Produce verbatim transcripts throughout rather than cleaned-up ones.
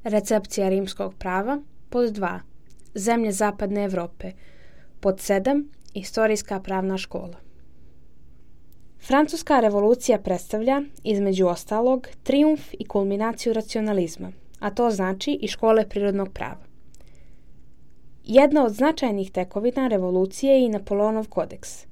Recepcija rimskog prava. Pod dva. Zemlje zapadne Evrope. Pod sedam. Istorijska pravna škola. Francuska revolucija predstavlja, između ostalog, trijumf i kulminaciju racionalizma, a to znači i škole prirodnog prava. Jedna od značajnih tekovina revolucije je i Napoleonov kodeks.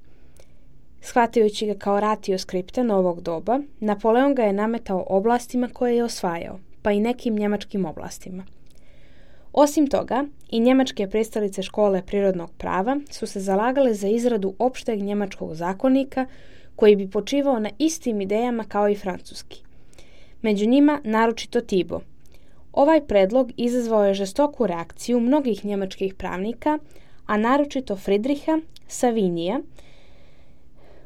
Shvatajući ga kao ratio skripta novog doba, Napoleon ga je nametao oblastima koje je osvajao, pa i nekim njemačkim oblastima. Osim toga, i njemačke pristalice škole prirodnog prava su se zalagale za izradu opšteg njemačkog zakonika koji bi počivao na istim idejama kao i francuski. Među njima naročito Thibaut. Ovaj predlog izazvao je žestoku reakciju mnogih njemačkih pravnika, a naročito Friedricha Savinija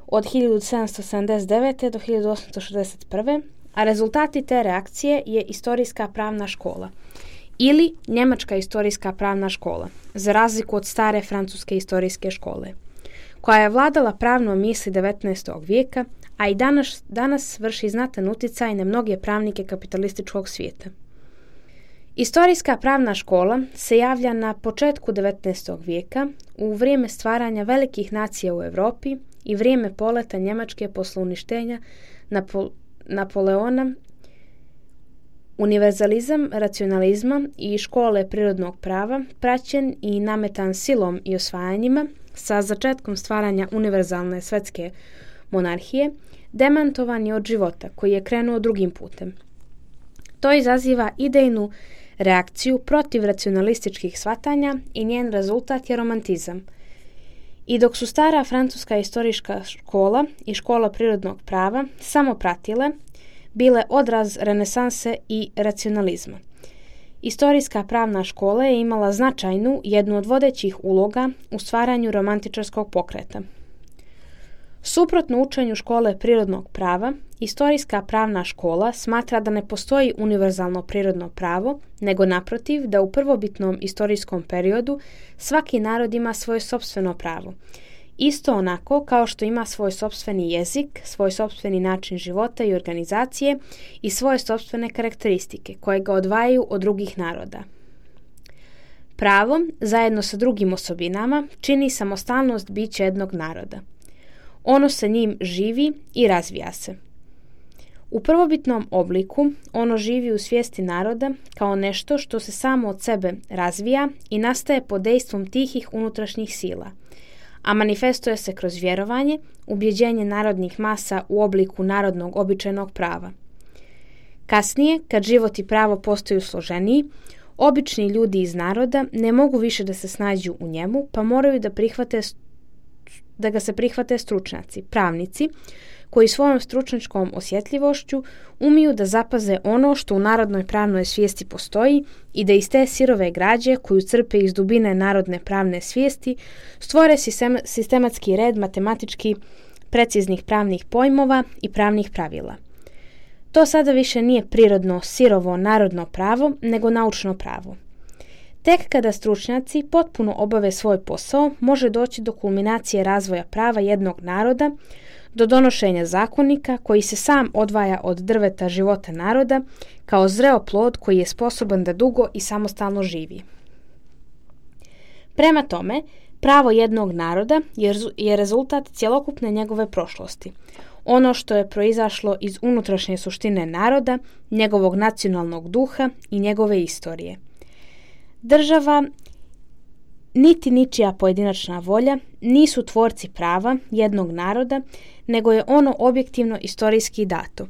od hiljadu sedamsto sedamdeset devete. do hiljadu osamsto šezdeset prve. a rezultati te reakcije je istorijska pravna škola ili njemačka istorijska pravna škola, za razliku od stare francuske istorijske škole, koja je vladala pravnom misli devetnaestog vijeka, a i danas, danas vrši znatan uticaj na mnoge pravnike kapitalističkog svijeta. Istorijska pravna škola se javlja na početku devetnaestog vijeka, u vrijeme stvaranja velikih nacija u Europi i vrijeme poleta Njemačke posle uništenja Napo- Napoleona. Univerzalizam racionalizma i škole prirodnog prava, praćen i nametan silom i osvajanjima, sa začetkom stvaranja univerzalne svetske monarhije, demantovan je od života koji je krenuo drugim putem. To izaziva idejnu reakciju protiv racionalističkih shvatanja i njen rezultat je romantizam. I dok su stara francuska istorijska škola i škola prirodnog prava samo pratile, bile odraz renesanse i racionalizma. Istorijska pravna škola je imala značajnu, jednu od vodećih uloga u stvaranju romantičarskog pokreta. Suprotno učenju škole prirodnog prava, istorijska pravna škola smatra da ne postoji univerzalno prirodno pravo, nego naprotiv da u prvobitnom istorijskom periodu svaki narod ima svoje sopstveno pravo. Isto onako kao što ima svoj sopstveni jezik, svoj sopstveni način života i organizacije i svoje sopstvene karakteristike koje ga odvajaju od drugih naroda. Pravo, zajedno sa drugim osobinama, čini samostalnost bića jednog naroda. Ono sa njim živi i razvija se. U prvobitnom obliku ono živi u svijesti naroda kao nešto što se samo od sebe razvija i nastaje pod dejstvom tihih unutrašnjih sila, a manifestuje se kroz vjerovanje, ubjeđenje narodnih masa u obliku narodnog običajnog prava. Kasnije, kad život i pravo postaju složeniji, obični ljudi iz naroda ne mogu više da se snađu u njemu, pa moraju da prihvate da ga se prihvate stručnjaci, pravnici, koji svojom stručnjačkom osjetljivošću umiju da zapaze ono što u narodnoj pravnoj svijesti postoji i da iz te sirove građe koju crpe iz dubine narodne pravne svijesti stvore sistematski red matematički preciznih pravnih pojmova i pravnih pravila. To sada više nije prirodno, sirovo, narodno pravo, nego naučno pravo. Tek kada stručnjaci potpuno obave svoj posao, može doći do kulminacije razvoja prava jednog naroda, do donošenja zakonika koji se sam odvaja od drveta života naroda kao zreo plod koji je sposoban da dugo i samostalno živi. Prema tome, pravo jednog naroda je rezultat cjelokupne njegove prošlosti, ono što je proizašlo iz unutrašnje suštine naroda, njegovog nacionalnog duha i njegove istorije. Država niti ničija pojedinačna volja nisu tvorci prava jednog naroda, nego je ono objektivno istorijski dato.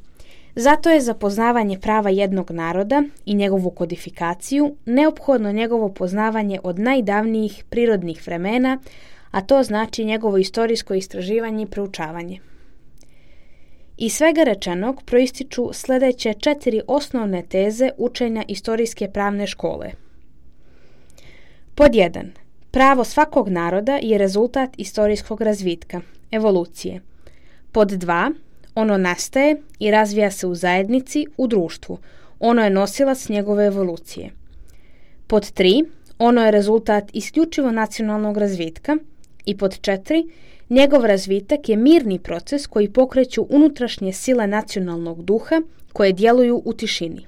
Zato je za poznavanje prava jednog naroda i njegovu kodifikaciju neophodno njegovo poznavanje od najdavnijih prirodnih vremena, a to znači njegovo istorijsko istraživanje i proučavanje. Iz svega rečenog proističu sljedeće četiri osnovne teze učenja istorijske pravne škole. Pod jedan. Pravo svakog naroda je rezultat istorijskog razvitka, evolucije. Pod dva. Ono nastaje i razvija se u zajednici, u društvu. Ono je nosilac njegove evolucije. Pod tri. Ono je rezultat isključivo nacionalnog razvitka. I pod četiri. Njegov razvitak je mirni proces koji pokreću unutrašnje sile nacionalnog duha koje djeluju u tišini.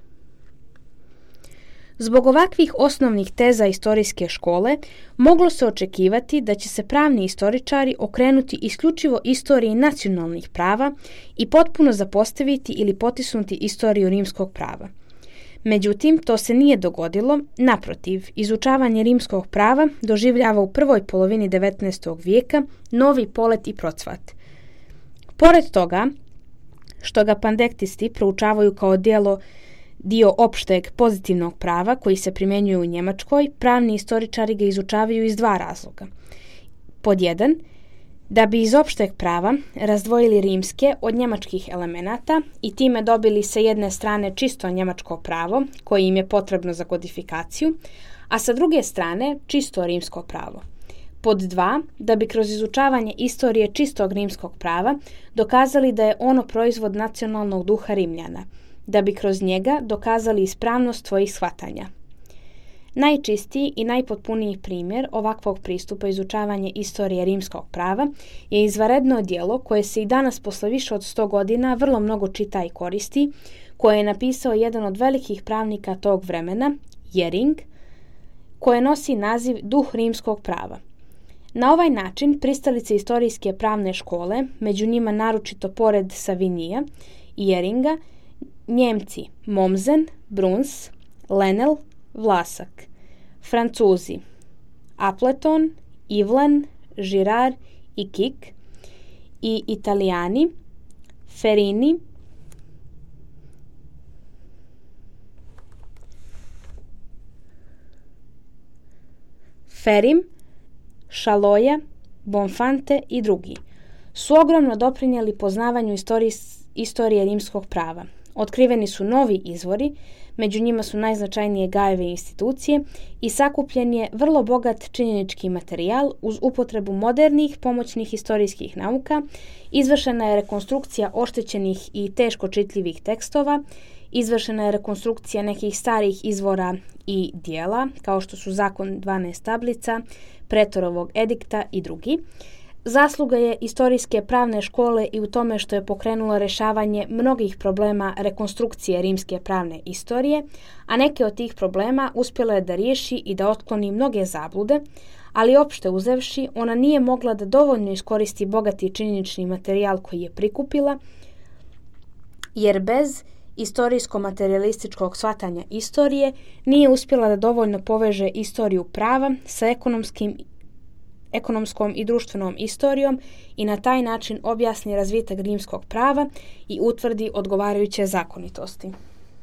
Zbog ovakvih osnovnih teza istorijske škole moglo se očekivati da će se pravni istoričari okrenuti isključivo istoriji nacionalnih prava i potpuno zapostaviti ili potisnuti istoriju rimskog prava. Međutim, to se nije dogodilo, naprotiv, izučavanje rimskog prava doživljava u prvoj polovini devetnaestog vijeka novi polet i procvat. Pored toga, što ga pandektisti proučavaju kao djelo dio opšteg pozitivnog prava koji se primjenjuje u Njemačkoj, pravni istoričari ga izučavaju iz dva razloga. Pod jedan, da bi iz opšteg prava razdvojili rimske od njemačkih elemenata i time dobili sa jedne strane čisto njemačko pravo, koje im je potrebno za kodifikaciju, a sa druge strane čisto rimsko pravo. Pod dva, da bi kroz izučavanje istorije čistog rimskog prava dokazali da je ono proizvod nacionalnog duha Rimljana, da bi kroz njega dokazali ispravnost svojih shvatanja. Najčistiji i najpotpuniji primjer ovakvog pristupa izučavanje istorije rimskog prava je izvanredno djelo koje se i danas posle više od sto godina vrlo mnogo čita i koristi, koje je napisao jedan od velikih pravnika tog vremena, Jering, koje nosi naziv Duh rimskog prava. Na ovaj način pristalice istorijske pravne škole, među njima naročito pored Savinija i Jeringa, Njemci Mommsen, Bruns, Lenel, Vlasak, Francuzi Appleton, Ivlen, Girard i Kik i Italijani Ferini, Ferim, Šaloja, Bonfante i drugi su ogromno doprinijeli poznavanju istorije, istorije rimskog prava. Otkriveni su novi izvori, među njima su najznačajnije Gajeve institucije i sakupljen je vrlo bogat činjenički materijal uz upotrebu modernih pomoćnih historijskih nauka, izvršena je rekonstrukcija oštećenih i teško čitljivih tekstova, izvršena je rekonstrukcija nekih starih izvora i dijela, kao što su Zakon dvanaest tablica, Pretorovog edikta i drugi. Zasluga je istorijske pravne škole i u tome što je pokrenula rešavanje mnogih problema rekonstrukcije rimske pravne istorije, a neke od tih problema uspjela je da riješi i da otkloni mnoge zablude, ali opšte uzevši, ona nije mogla da dovoljno iskoristi bogati činjenični materijal koji je prikupila, jer bez istorijsko-materialističkog shvatanja istorije nije uspjela da dovoljno poveže istoriju prava sa ekonomskim ekonomskom i društvenom istorijom i na taj način objasni razvitak rimskog prava i utvrdi odgovarajuće zakonitosti.